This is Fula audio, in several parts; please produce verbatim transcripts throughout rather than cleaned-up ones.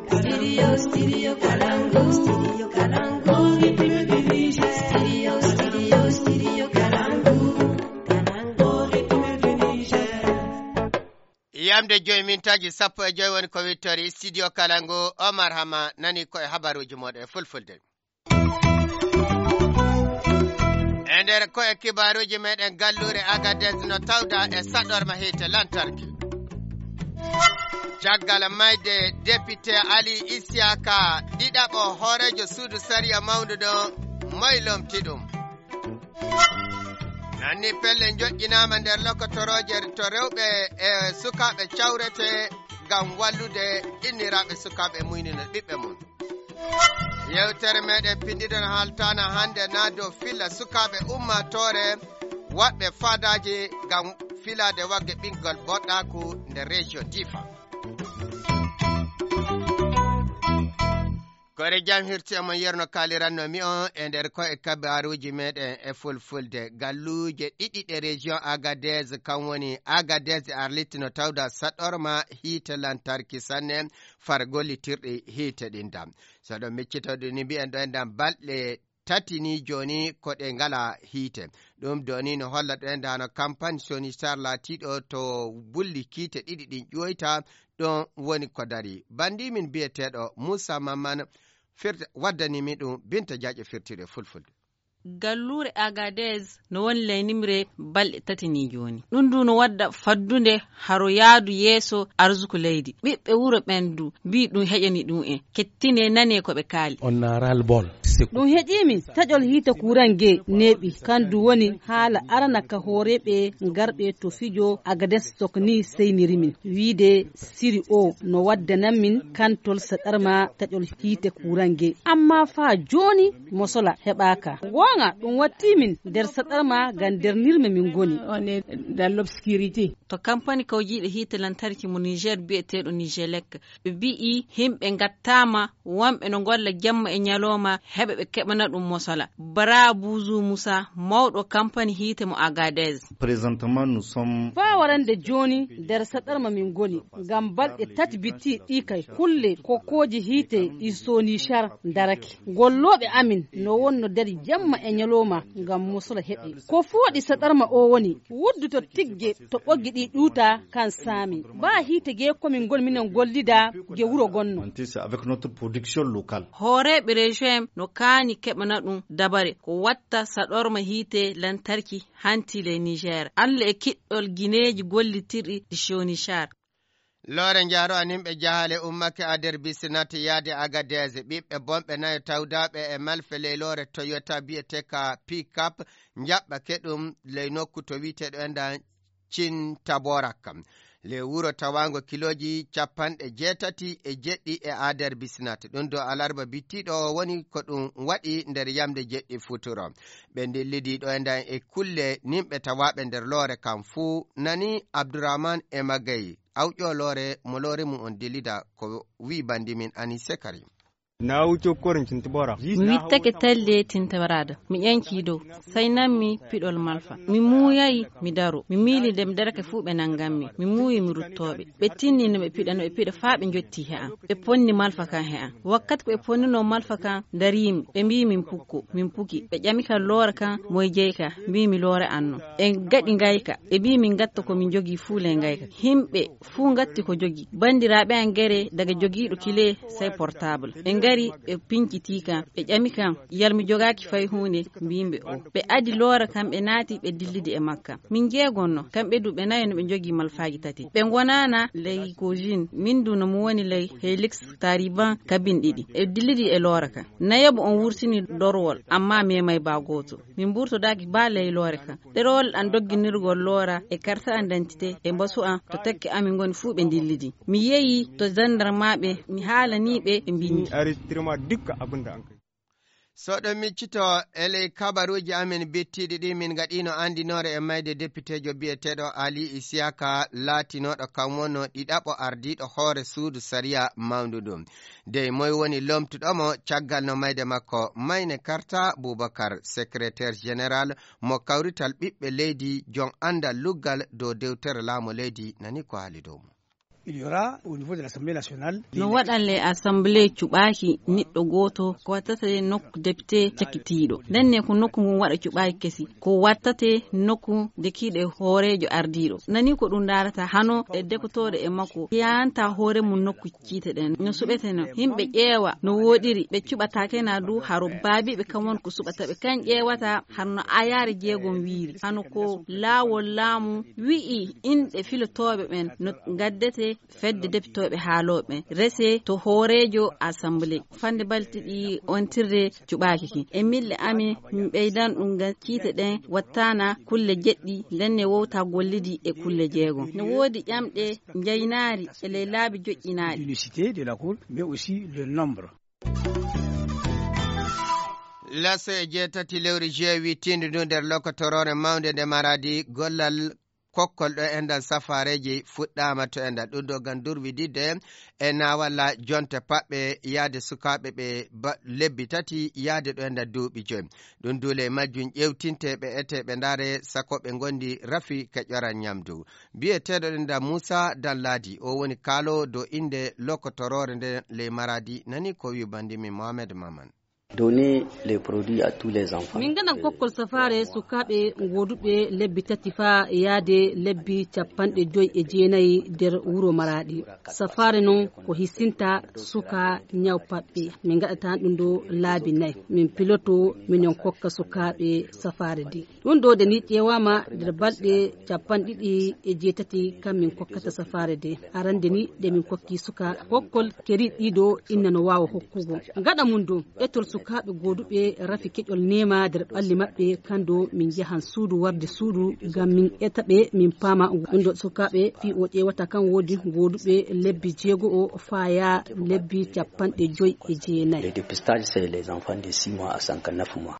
Studio, studio Kalangu, studio Kalangu, Republic du Niger. Studio, studio, studio Kalangu, Kalangu, Republic du Niger. Yamde joyi mintaaji sappo e joyi woni ko wittori studio Kalangu. Omar Hama nani ko e habaruuji mooɗon e fulfulde. E nder ko e kibaaruuji meɗen, galluure Agadez no tawda e saɗorma hiite lantarki. Caggal mayde député Ali Isiyaka, ɗiɗaɓo hooreejo suudu sariya mawndu ɗo, moy lomti ɗum? Nanni pelle joƴƴinaama nder lokotorooje to rewɓe e sukaaɓe cawrete ngam wallude inniraaɓe sukaaɓe muynina ɓiɓɓe mum. Yewtere meɗen pindiɗen haltana hannde na dow filla sukaaɓe ummaatoore waɗɓe faadaaji ngam filaade wagge ɓinngol boɗɗaaku nder région Difa. Koore jam hirti e mon yerno kaaliranno mi on e nder ko e kabaruuji meɗen e fulfulde. Galluuje ɗiɗi ɗe région Agadez, kam woni Agadez e Arlit, no tawda saɗorma hiite lantarki sanne far gollitirɗi hiite ɗin dam. So ɗon miccitoɗo ni mbiyen ɗo en dam balɗe tati ni jooni ko ɗe ngala hiite. Ɗum ɗo ni no holla ɗo en dano campagne Sony Star laatiiɗo to bulli kiite ɗiɗi ɗin ƴoyta ɗon woni ko dari. Bandi min biyeteeɗo Moussa Maman firti, waddani mi ɗum Binta Diadio firtiiɗo e fulfulde. Galluure Agadez no woni ley nimre balɗe tati ni jooni. Ɗum ndu no wadda faddunde haro yaadu yeeso arsuku leydi. Ɓiɓɓe wuro ɓen du mbii ɗum heƴani ɗum en. Kettine nane ko ɓe kaali. On a ras-le-bol. Ɗum heƴii min taƴol hiite kuran ge neeɓi. Kan du woni haala arana ka hooreeɓe garɓe to fijo Agadez tok ni seyniri min. Wiide siri o no waddanan min kantol saɗarma taƴol hiite kuran ge. Amma faa jooni mosola heɓaaka. Goonga ɗum wattii min nder saɗarma ngam nder nirme min ngoni. On est dans l'obscurité. To kampani kawjiiɗo hiite lantarki mo Niger biyeteeɗo Nigelec, ɓe mbi'i himɓe ngattaama, wonɓe no ngolla jemma e ñalooma heɓa ɓe keɓana ɗum mosola. Bara Buzu Musa, mawɗo kampani hiite mo Agadez. Présentement, nous sommes... Faa warande jooni nder saɗarma min ngoni, ngam balɗe tati bitti ɗi kay kulle kokkooji hiite ɗi Sonishar darake. Gollooɓe amin no wonno dari jemma e ñalooma ngam mosola heɓe. Ko fooɗi saɗarma o woni wudduto tigge to ɓoggi ɗi ɗuuta kan saami. Baa hiite ge komin ngoni minen gollida ge wuro gonno. C'est avec notre production locale. Hooreeɓe région en no kaani keɓana ɗum dabare ko watta saɗorma hiite lantarki hanti ley Niger. Alla e kiɗɗol gineeji gollitirɗi ɗi Sonishar. Loore njaaro an yimɓe jahaale ummake a nder bisinate yaade Agadez. Ɓiɓɓe bonɓe nayo tawdaaɓe e malfe ley loore Toyota biyeteka pick-up njaɓɓake ɗum ley nokku to wiyeteeɗo enɗan Cintaborak. Ley wuro tawaango kilooji capanɗe jeetati e jeɗɗi e a nder bisinate. Ɗum dow alarba bittiiɗo woni ko ɗum waɗi nder yamde jeɗɗi futuro. Ɓe ndillidi ɗo enɗan e kulle nimɓe tawaaɓe nder loore kam fuu nani Abdourahmane e Magaye. Awƴo loore mo loore mum on dillida ko wi bandi min Anise Karim. Na wuce korin Cintabora. Mi wittake talle Tintabarada. Mi ƴanci dow. Sai nanmi piɗol malfa. Mi muuyayi mi daro. Mi miili nde mi darake fuu ɓe nanganmi. Mi muuyi mi ruttooɓe. Ɓe tinni no ɓe piɗa, no ɓe piɗa faa ɓe njotti he an. Ɓe ponni malfa kan he an. Wakkati ko ɓe ponnuno malfa kan, darimi. Ɓe mbii min pukko. Min puki. Ɓe ƴami kan loora kan moy jeyi ka. Mbii mi loore an non. Ɓe gaɗi ngayka. Ɓe mbii min gatta ko min jogii fuu ley ngayka. Himɓe fuu ngatti ko jogi. Banndiraaɓe am gere daga jogiiɗo kile sey portable. Ɓe ngari, ɓe pincitii kam, ɓe ƴami kam, yal mi jogaaki fay huunde? Mbiimi ɓe o. Ɓe adi loora kam, ɓe naati, ɓe dillidi e makka. Min njeegonno, kamɓe du ɓe nayo no ɓe njogii malfaaji tati. Ɓe ngonaana ley Cogine, min du no mi woni ley Helix Tariban kabin ɗiɗi. Ɓe dillidi e loora kam. Nayaɓo on wurtini dorwol, amma meemay baa gooto. Min mburtodaaki baa ley loore kan. Ɗerewol an dogginirgol loora e karta an dantite e mbasu an to tekke amin ngoni fuu ɓe ndillidi. Mi yehi to jandarmaaɓe, mi haalanii ɓe, ɓe mbinndi. Enregistrement dukka abin da an kai. So ɗo miccito e ley kabaruuji amin bittiiɗi ɗi min ngaɗiino anndinoore e mayde depiteejo biyeteeɗo Ali Isiyaka laatinooɗo kam wonno ɗiɗaɓo ardiiɗo hoore suudu sariya mawndu ɗum. Dey moy woni lomtuɗo mo caggal no mayde makko? Mayne Karta Bubakar, secrétaire général mo kawrital ɓiɓɓe leydi, jon anndal luggal dow dewtere laamu leydi, nani ko haali dow mum. Il y aura au niveau de l'Assemblée nationale. No waɗan le assemblée cuɓaaki niɗɗo gooto ko wattata nokku député cakitiiɗo. Nden ne ko nokku ngun waɗa cuɓaaki kesi. Ko wattate nokku dekiiɗo e hooreejo ardiiɗo. Nani ko ɗum ndaarata hano e dekotooɗo e makko. Yanta hoore mum nokku ciite ɗen. No suɓeteno. Yimɓe ƴeewa no wooɗiri. Ɓe cuɓataake na du haro baabiiɓe kam won ko suɓata ɓe. Kan ƴeewata hano no ayaare jeegom wiiri. Hano ko laawol laamu wi'i inɗe filotooɓe ɓen no gaddete fedde depitooɓe haalooɓe rese to hooreejo assemblée. Fande balɗe ɗiɗi ontirde cuɓaaki ki. E milɗe amen, min ɓeydan ɗum ngam ciite ɗen wattaana kulle jeɗɗi, nden ne wowta gollidi e kulle jeegom. No woodi ƴamɗe njaynaari e ley laabi joƴƴinaaɗi. L'unicité de la Cour, mais aussi le nombre. Laso e jeetati lewru juin wittiindu ndu nder lokotoroore mawnde nde Maradi gollal kokkol ɗo enɗan safaareeji fuɗɗaama to enɗan. Ɗum ɗo ngam durwididde e naawalla jonte paɓɓe yahde sukaaɓe ɓe ba-, lebbi tati yahde ɗo enɗan duuɓi joyi. Ɗum duule e majjum ƴeewtinte ɓe etee ɓe ndaare sakko ɓe ngondi rafi ka ƴoran ñamdu. Biyeteeɗo ɗo enɗan Muusa Danladi, o woni kaaloowo dow innde lokotoroore nden ley Maradi, nani ko wi'i banndi min Mohamed Maman. Donner les produits à tous les enfants. Min ngaɗan kokkol safaare sukaaɓe gooduɓe lebbi tati faa yaade lebbi capanɗe joyi e jeenayi nder wuro Maradi. Safaare non ko hisinta suka ñaw paɓɓe. Min ngaɗata ɗum ɗo laabi nayi. Min piloto, minen kokka sukaaɓe safaare de. Ɗum ɗo de ni ƴeewaama nder balɗe capanɗe ɗiɗi e jeetati kam min kokkata safaare de. Arande ni de min kokki suka kokkol keri ɗiɗo inna no waawa hokkugo. Gaɗa mum ɗo, etol sukaaɓe gooduɓe rafi keƴol neema nder ɓalli maɓɓe, kan ɗo min njahan suudu warde suudu ngam min eta ɓe, min paama. Ɗum ɗo sukaaɓe fii o ƴeewata kan woodi gooduɓe lebbi jeego o faaya lebbi capanɗe joyi e jeenayi. Le dépistage, c'est les enfants de six mois à cinquante-neuf mois.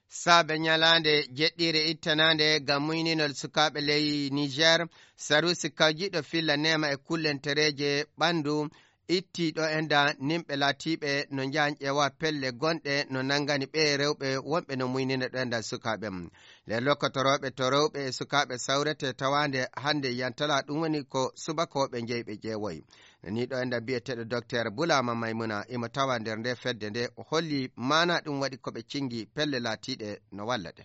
Saabe ñalaande jeɗɗiire ittanaande ngam muyninol sukaaɓe ley Niger, Sarusi kawjiiɗo filla neema e kullentereeje ɓanndu itti ɗo enɗan nimɓe laatiiɓe no njahan ƴeewa pelle gonɗe no nanngani ɓe rewɓe wonɓe no muynina ɗo enɗan sukaaɓe mum. Nder lokkotorooɓe to rewɓe e sukaaɓe sawrete tawaande hannde yantala ɗum woni ko subakooɓe jeyɓe ƴeewoy. Ni ɗo enɗan biyeteeɗo Docteur Bulama Maymuna imo tawa nder nde fedde nde o holli maana ɗum waɗi ko ɓe cingi pelle laatiiɗe no walla ɗe.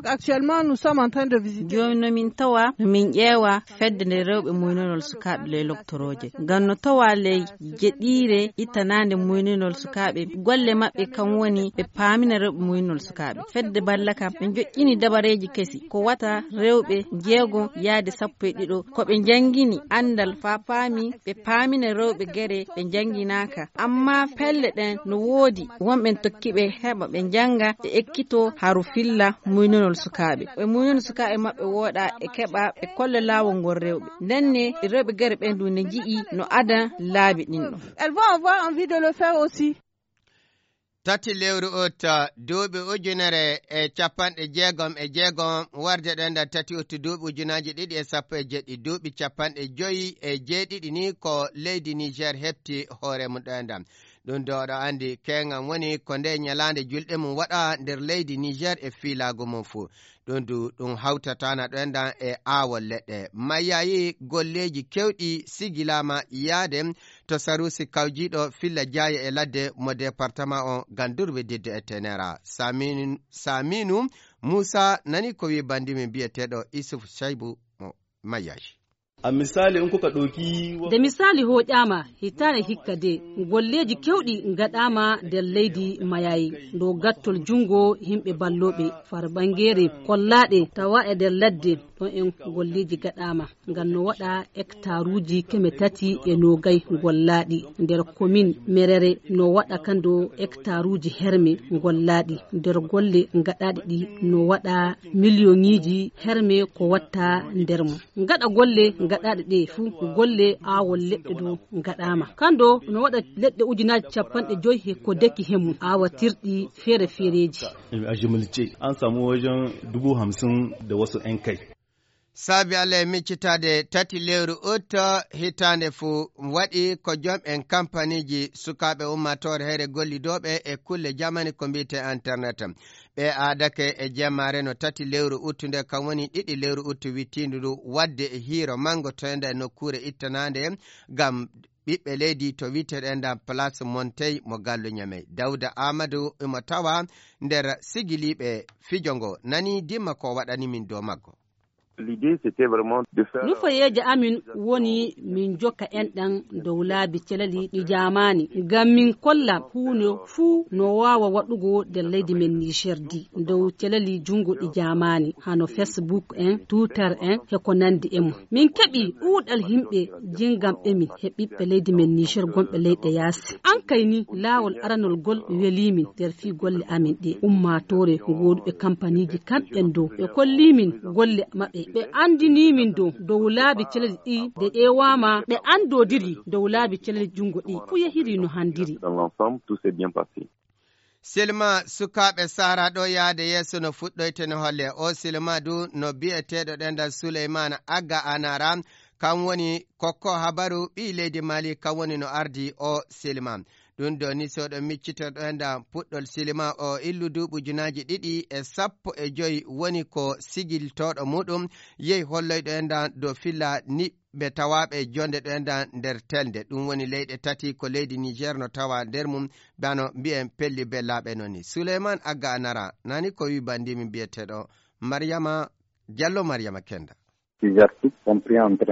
Actuellement, nous sommes en train de visiter. Jooni no min tawa, no min ƴeewa fedde nde rewɓe muynanol sukaaɓe ley loktorooje. Ngam no tawa ley jeɗiire ittanaande muynanol sukaaɓe, golle maɓɓe kam woni ɓe paamina rewɓe muynanol sukaaɓe. Fedde balla kam, ɓe joƴƴini dabareeji kesi, ko wata rewɓe jeego yaade sappo e ɗiɗo, ko ɓe njanngini anndal faa paami, ɓe paamina rewɓe gere ɓe njannginaaka. Amma pelle ɗen no woodi, wonɓe tokki ɓe heɓa ɓe njannga, ɓe ekkito haro filla muynanol sukaaɓe. Ɓe muynana sukaaɓe maɓɓe wooɗa, ɓe keɓa, ɓe kolla laawol ngol rewɓe. Nden ne rewɓe gere ɓen du ne nji'i no adan laabi ɗin ɗon. Elles vont avoir envie de le faire aussi. Tati lewru ut, duuɓi ujunere e capanɗe jeegom e jeegom, warde ɗo nder tati ut duuɓi ujunaaji ɗiɗi e sappo e jeɗɗi, duuɓi capanɗe joyi e jeeɗiɗi ni ko leydi Niger heɓti hoore mum ɗo e ndam. Ɗum ɗo oɗo anndi keeŋan woni ko nde ñalaande julɗe mum waɗa nder leydi Niger e fiilaagu mum fuu. Ɗum du, ɗum hawtataana ɗo enɗan e aawol leɗɗe. Mayayi golleeji keewɗi sigilaama yaade to Sarusi kawjiiɗo filla jaaye e ladde mo departama o ngam durwididde e tenera. Samin-, Saminu Muusa nani ko wi'i banndi min biyeteeɗo Isuf Shaibu mo Mayaji. A misali, in kuka ɗauki wa- Nde misali hoƴaama, hitaande hikka de, golleeji keewɗi ngaɗaama nder leydi Mayayi. Ɗo gattol junngo yimɓe ballooɓe, far ɓanngeere kollaaɗe tawa e nder ladde, ɗon en golleeji gaɗaama. Ngam no waɗa hektaruuji keme tati e noogay gollaaɗi. Nder komin Merere no waɗa kando hektaruuji herme gollaaɗi. Nder golle ngaɗaaɗi ɗi no waɗa miliyoŋiiji herme ko watta nder mum. Ngaɗa golle ngaɗaaɗe ɗe fuu, golle aawol leɗɗe ɗo ngaɗaama. Kando no waɗa leɗɗe ujunaaji capanɗe joyi he ko deki he mum, aawatirɗi feere feereeji. A jimilce, an samu wajen dubu hamsin da wasu yan kai. Saabi Allah e miccitaade tati lewru ut hitaande fuu, waɗi ko joom en kampaniiji sukaaɓe ummaatoore heyre gollidooɓe e kulle jamani ko mbiyetee internet. Ɓe aadake e jemmaare no tati lewru ut nde, kam woni ɗiɗi lewru ut wittiindu ndu, waɗde e hiiro manngo toynda e nokkuure ittanaande ngam ɓiɓɓe leydi to wiyteɗen ɗan Place Montey mo Gallo Ñamey. Dawda Amadou imo tawa nder sigiliiɓe fijo ngo. Nani dimma ko waɗani min dow maggo. L'idée, c'était vraiment de faire Nufayeeje amin woni min jokka enɗan dow laabi calali ɗi jaamaani, ngam min kolla huunde fuu no waawa waɗugo nder leydi men Niger di, dow calali junngo ɗi jaamaani, hano Facebook en, Twitter en, he ko nanndi e mum. Min keɓi ɗuuɗal yimɓe jingamɓe min he ɓiɓɓe leydi men Niger gonɓe leyɗe yaasi. An kay ni, laawol aranol gol welii min nder fii golle amin ɗe. Ummaatoore gooduɓe kampaniiji kamɓen dow, ɓe kollii min golle maɓɓe. Ɓe anndinii min dow, dow laabi calali ɗi de ƴeewaama, ɓe anndodiri dow laabi calali junngo ɗi. Fuu yehiri no handiri. Dans l'ensemble, tout s'est bien passé. Silma sukaaɓe Sahara ɗo yaade yeeso no fuɗɗoyte no holle. O Silma du no biyeteeɗo ɗenɗan Souleymane Agga Anara, kam woni kokko habaru ɓii leydi Mali, kam woni no ardi o Silma. Ɗum ɗo ni so ɗo miccito ɗenɗan puɗɗol Silma o illu duuɓi ujunaaji ɗiɗi e sappo e joy woni ko sigiltooɗo muɗum yehi holloyɗo enɗan dow filla ni ɓe tawaaɓe jonde ɗo enɗan nder telde. Ɗum woni leyɗe tati ko leydi Niger no tawa nder mum, bano mbiyen pelli bellaaɓe noon ni. Souleymane Agga Anara, nani ko wi banndi min mbiyeteeɗo Mariama Diallo, Mariama Kenda. Plusieurs sites sont pris entre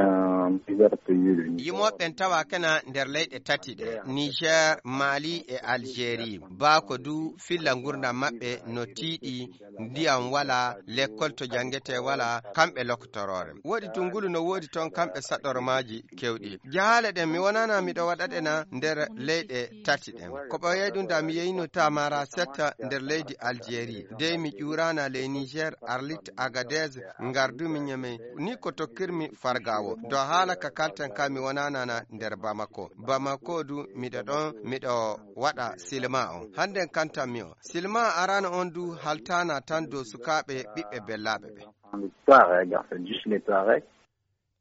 plusieurs pays de Niger. Yimooɓe ɓen tawa kena nder leyɗe tati ɗe, Niger, Mali e Algérie. Baa ko du filla ngurndan maɓɓe no tiiɗi, ndiyam wala, lekkol to jangetee wala, kamɓe lokotoroore. Woodi tun ngulu no woodi toon kamɓe saɗormaaji kewɗi. Jahaale ɗen mi wonana miɗo waɗa ɗe na nder leyɗe tati ɗen. Ko ɓooyay ɗum da mi yeyino Tamara Setta nder leydi Algérie. Dey mi ƴuurana ley Niger, Arlit, Agadez, ngardumi Ñamey. Ni ko tokkirmi fargawo. Do haala ka kalten ka mi wonana na nder Bamako. Bamako du miɗo ɗon miɗo waɗa silma on. Hannden kantan mi o. Silma arano on du haltana tan dow sukaaɓe ɓiɓɓe bellaaɓe ɓe. Dans les Touaregs, c'est juste les Touaregs.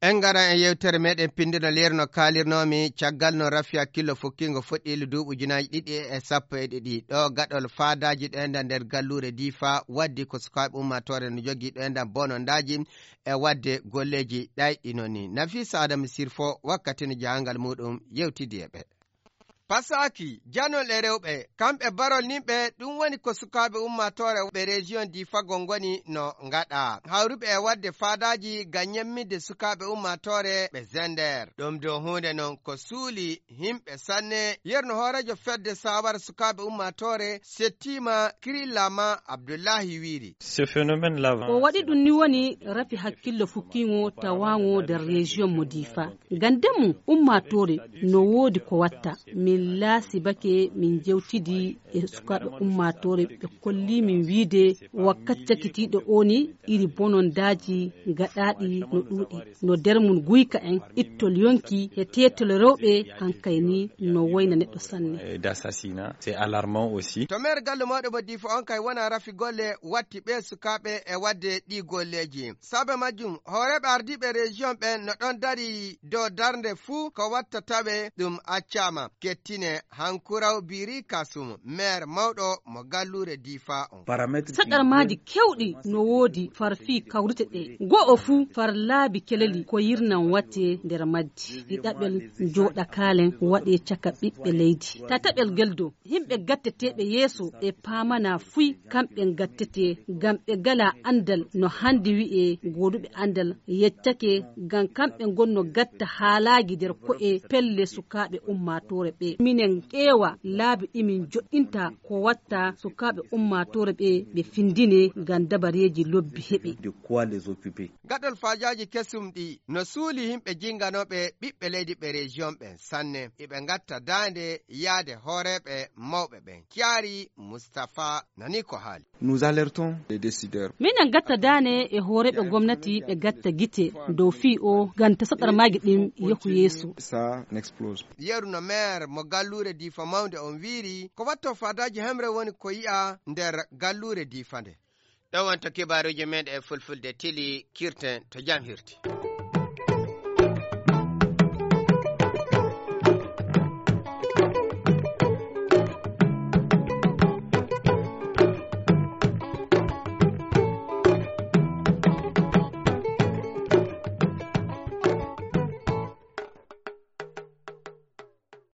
En ngara e yewtere meɗen pinndino leer no kaalirnoomi caggal no rafi hakkillo fukkingo fuɗɗiili duuɓi ujunaaji ɗiɗi e sappo e ɗiɗi. Ɗo gaɗol faadaaji ɗo enɗan nder galluure Difa waddi ko sukaaɓe ummaatoore no jogii ɗo enɗan bonondaaji e waɗde golleeji ɗayɗi noon ni. Nafisa Adamu Sirfo wakkati no jahangal muɗum yewtidi e ɓe. Pasaaki, janol e rewɓe, kamɓe barol nimɓe, ɗum woni ko sukaaɓe ummaatoore ɓe région Difa ngoni no ngaɗa. Hawruɓe e waɗde faadaaji ngam ñemmitde sukaaɓe ummaatoore ɓe Zender. Ɗum ɗo huunde noon ko suuli yimɓe sanne. Yerno hooreejo fedde saawara sukaaɓe ummaatoore settiima Kirillama Abdullahi wiiri. Ce phénomène-là, ko waɗi ɗum ni woni rafi hakkillo fukkiingo tawaango nder région mo Difa. Ngam ndemu ummaatoore no woodi ko watta. Min laasibake, min jewtidi e sukaaɓe ummaatoore, ɓe kolli min wiide wakkati cakitiiɗo o ni iri bonondaaji gaɗaaɗi no ɗuuɗi. No nder mum guyka en, ittol yonki e teetol rewɓe hankay ni no woyna neɗɗo sanne. Et d'assassinat, c'est alarmant aussi. To meer galle mawɗo mo Difa on kay wona rafi golle watti ɓe sukaaɓe e waɗde ɗi golleeji. Saabe majjum, hooreeɓe ardiiɓe région ɓen no ɗon dari dow darnde fuu ko watta tawe ɗum accaama. Kettine Hankuraw Biri Kasum, meer mawɗo mo galluure Difa on. Saɗarmaaji kewɗi no woodi far fii kawrite ɗe. Go'o fuu far laabi keleli ko yirnan watte nder majji. Ɗiɗaɓel jooɗakaalen waɗe caka ɓiɓɓe leydi. Tataɓel gel dow. Yimɓe gatteteeɓe yeeso ɓe paamana fuy kamɓe gattete, ngam ɓe gala anndal no hannde wi'e gooduɓe anndal yeccake, ngam kamɓe ngonno gatta haalaaji nder ko'e pelle sukaaɓe ummaatoore ɓe. Minen ƴeewa laabi ɗi min joɗɗinta ko watta sukaaɓe ummaatoore ɓe, ɓe findine ngam dabareeji lobbi heɓe. De quoi les occuper? Gaɗol faajaaji kesum ɗi no suuli yimɓe jinganooɓe ɓiɓɓe leydi ɓe région ɓen sanne. Iɓe ngatta daande yaade hooreeɓe mawɓe ɓen. Kiyaari Mustapha nani ko haali. Nous alertons les décideurs. Minen gatta daande e hooreeɓe gomnati ɓe gatta gite dow fii o ngam ta saɗarmaaji ɗin yehu yeeso. Ça n'explose pas. Yeru no meer mo galluure Difa mawnde on wiiri, ko watto faadaaji hemre woni ko yi'a nder galluure Difa nde. Ɗo wonto kibaaruuji men e fulfulde tili, kirten to jam hirti.